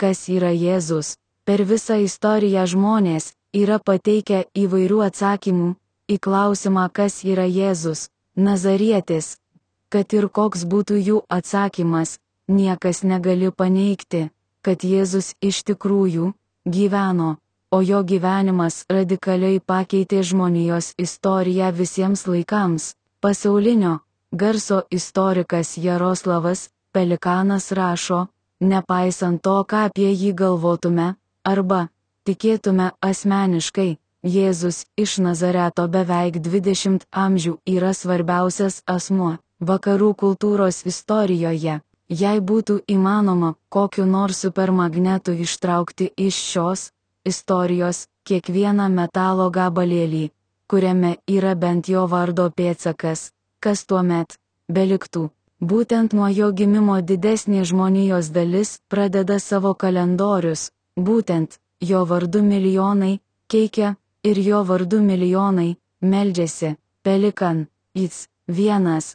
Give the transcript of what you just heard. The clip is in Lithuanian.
kas yra Jėzus. Per visą istoriją žmonės yra pateikę įvairių atsakymų į klausimą, kas yra Jėzus, Nazarietis. Kad ir koks būtų jų atsakymas, niekas negali paneigti, kad Jėzus iš tikrųjų gyveno, o jo gyvenimas radikaliai pakeitė žmonijos istoriją visiems laikams. Pasaulinio garso istorikas Jaroslavas Pelikanas rašo, nepaisant to, ką apie jį galvotume, arba tikėtume asmeniškai, Jėzus iš Nazareto beveik 20 amžių yra svarbiausias asmuo vakarų kultūros istorijoje. Jei būtų įmanoma kokiu nors supermagnetu ištraukti iš šios istorijos kiekvieną metalo gabalėlį, kuriame yra bent jo vardo pėdsakas, kas tuomet beliktų? Būtent nuo jo gimimo didesnė žmonijos dalis pradeda savo kalendorius, būtent jo vardu milijonai keikia ir jo vardu milijonai meldžiasi. Pelikan, jis vienas,